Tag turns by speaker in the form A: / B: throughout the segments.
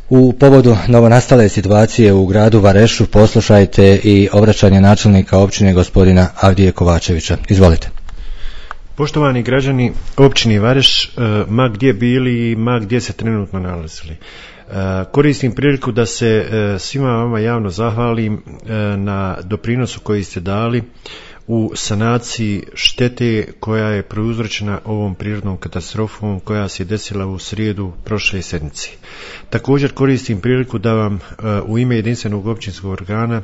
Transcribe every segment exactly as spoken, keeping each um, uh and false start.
A: U povodu novonastale situacije u gradu Varešu poslušajte i obraćanje načelnika općine gospodina Avdije Kovačevića. Izvolite.
B: Poštovani građani općine Vareš, ma gdje bili i ma gdje se trenutno nalazili, koristim priliku da se svima vama javno zahvalim na doprinosu koji ste dali u sanaciji štete koja je prouzročena ovom prirodnom katastrofom koja se desila u srijedu prošle sedmice. Također koristim priliku da vam u ime jedinstvenog općinskog organa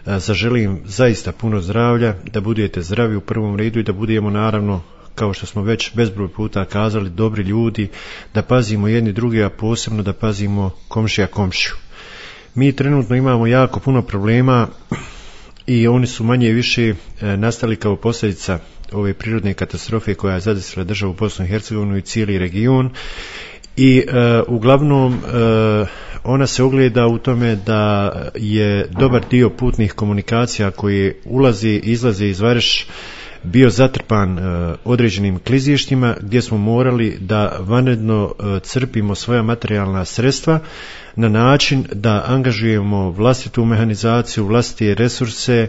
B: zaželim zaista puno zdravlja, da budete zdravi u prvom redu i da budemo naravno, kao što smo već bezbroj puta kazali, dobri ljudi, da pazimo jedni drugi, a posebno da pazimo komšija komšiju. Mi trenutno imamo jako puno problema i oni su manje i više nastali kao posljedica ove prirodne katastrofe koja je zadesila državu Bosnu i Hercegovinu i cijeli region i e, uglavnom e, ona se ogleda u tome da je dobar dio putnih komunikacija koji ulazi i izlazi iz Vareš bio zatrpan e, određenim klizištima gdje smo morali da vanredno e, crpimo svoja materijalna sredstva na način da angažujemo vlastitu mehanizaciju, vlastite resurse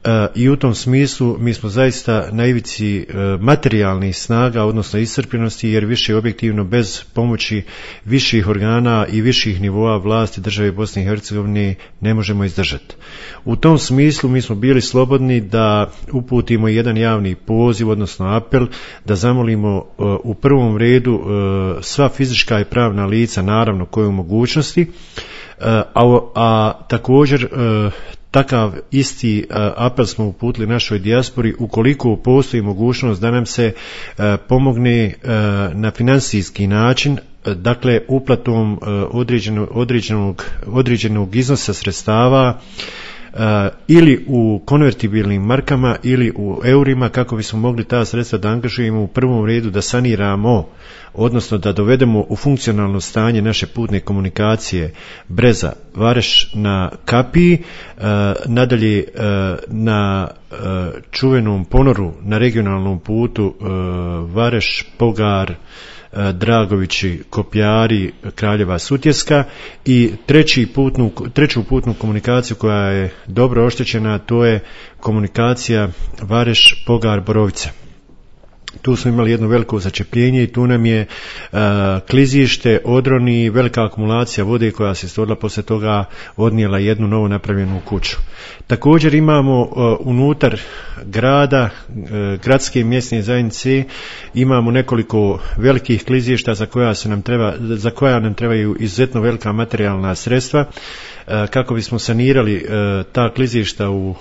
B: e, i u tom smislu mi smo zaista na ivici e, materijalnih snaga, odnosno iscrpljenosti, jer više objektivno bez pomoći viših organa i viših nivoa vlasti države Bosne i Hercegovine ne možemo izdržati. U tom smislu mi smo bili slobodni da uputimo jedan javni poziv, odnosno apel, da zamolimo e, u prvom redu e, sva fizička i pravna lica, naravno koje u mogućnosti, e, a, a također e, takav isti apel smo uputili našoj dijaspori ukoliko postoji mogućnost da nam se pomogne na financijski način, dakle uplatom određenog, određenog, određenog iznosa sredstava Uh, ili u konvertibilnim markama ili u eurima, kako bismo mogli ta sredstva da angažujemo u prvom redu da saniramo, odnosno da dovedemo u funkcionalno stanje naše putne komunikacije Breza Vareš na Kapiji, uh, nadalje uh, na uh, čuvenom ponoru na regionalnom putu uh, Vareš, Pogar, Dragovići, Kopjari, Kraljeva Sutjeska i treći putnu, treću putnu komunikaciju koja je dobro oštećena, to je komunikacija Vareš, Pogar, Borovica. Tu smo imali jedno veliko začepljenje i tu nam je uh, klizište, odroni, velika akumulacija vode koja se stvorila poslije toga odnijela jednu novo napravljenu kuću. Također imamo uh, unutar grada, uh, gradske mjesne zajednice, imamo nekoliko velikih klizišta za koja, se nam treba, za koja nam trebaju izuzetno velika materijalna sredstva uh, kako bismo sanirali uh, ta klizišta u uh,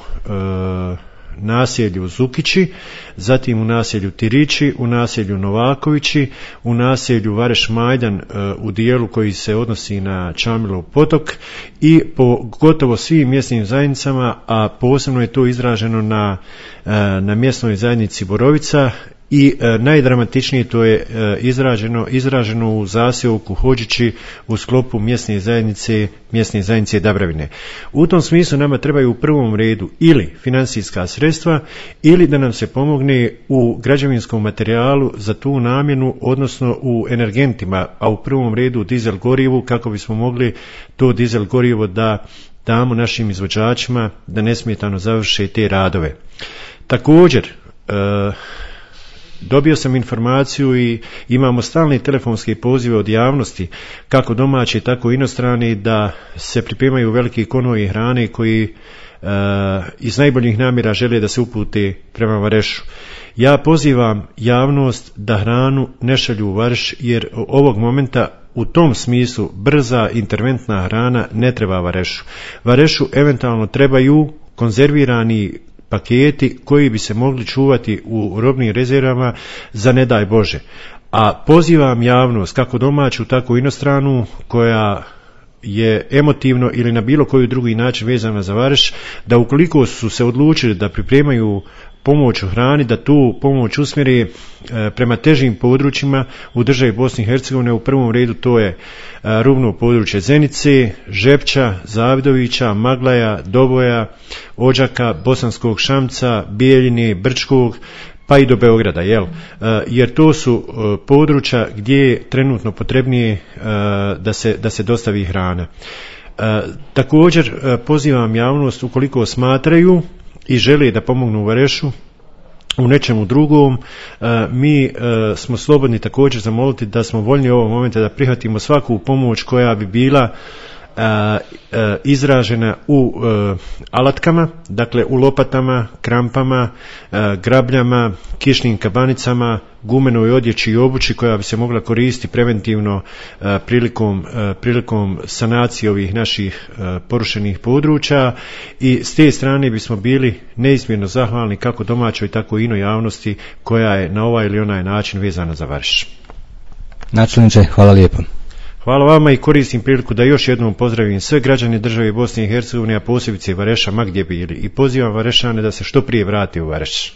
B: naselju Zukići, zatim u naselju Tirići, u naselju Novakovići, u naselju Vareš Majdan u dijelu koji se odnosi na Čamilov potok i po gotovo svim mjesnim zajednicama, a posebno je to izraženo na, na mjesnoj zajednici Borovica i e, najdramatičnije to je e, izraženo, izraženo u zaseoku Hođići u sklopu mjesne zajednice, mjesne zajednice Dabravine. U tom smislu nama trebaju u prvom redu ili financijska sredstva ili da nam se pomogne u građevinskom materijalu za tu namjenu, odnosno u energentima, a u prvom redu dizel gorivu, kako bismo mogli to dizel gorivo da damo našim izvođačima da nesmetano završe te radove. Također, e, dobio sam informaciju i imamo stalne telefonske pozive od javnosti, kako domaće, tako i inostrane, da se pripremaju veliki konvoji hrane koji e, iz najboljih namjera žele da se upute prema Varešu. Ja pozivam javnost da hranu ne šalju u Vareš, jer ovog momenta u tom smislu brza interventna hrana ne treba Varešu. Varešu eventualno trebaju konzervirani paketi koji bi se mogli čuvati u robnim rezervama za ne daj Bože. A pozivam javnost, kako domaću, tako i inostranu, koja je emotivno ili na bilo koji drugi način vezana za Vareš, da ukoliko su se odlučili da pripremaju pomoć u hrani, da tu pomoć usmjeri e, prema težim područjima u državi Bosne i Hercegovine. U prvom redu to je e, rubno područje Zenice, Žepča, Zavidovića, Maglaja, Doboja, Odžaka, Bosanskog Šamca, Bijeljine, Brčkog, pa i do Beograda, jel? Jer to su područja gdje je trenutno potrebnije da se, da se dostavi hrana. Također pozivam javnost, ukoliko smatraju i žele da pomognu u Varešu u nečemu drugom, mi smo slobodni također zamoliti da smo voljni u ovom momentu da prihvatimo svaku pomoć koja bi bila izražena u alatkama, dakle u lopatama, krampama, grabljama, kišnim kabanicama, gumenoj odjeći i obući koja bi se mogla koristiti preventivno prilikom, prilikom sanacije ovih naših porušenih područja, i s te strane bismo bili neizmjerno zahvalni kako domaćoj tako i inoj javnosti koja je na ovaj ili onaj način vezana za Vareš.
A: Načelniče, hvala lijepo.
B: Hvala vama i koristim priliku da još jednom pozdravim sve građane države Bosne i Hercegovine, a posebice Vareša ma gdje bili, i pozivam Varešane da se što prije vrate u Vareš.